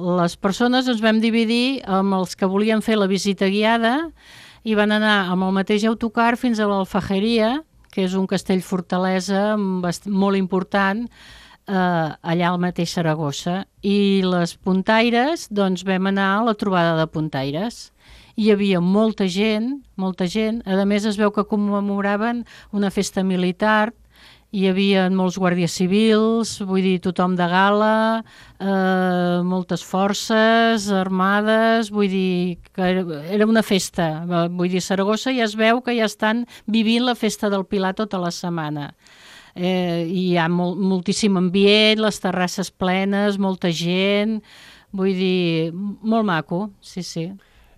les persones ens vam dividir amb els que volien fer la visita guiada i van anar amb el mateix autocar fins a l'Alfajeria, que és un castell fortalesa molt important, allà al mateix Saragossa. I les puntaires, doncs vam anar a la trobada de puntaires. Hi havia molta gent, a més es veu que commemoraven una festa militar, hi havia molts guàrdies civils, vull dir, tothom de gala, moltes forces armades, vull dir que era una festa. Vull dir, a Saragossa ja es veu que ja estan vivint la festa del Pilar tota la setmana. Hi ha moltíssim ambient, les terrasses plenes, molta gent, vull dir, molt maco, sí.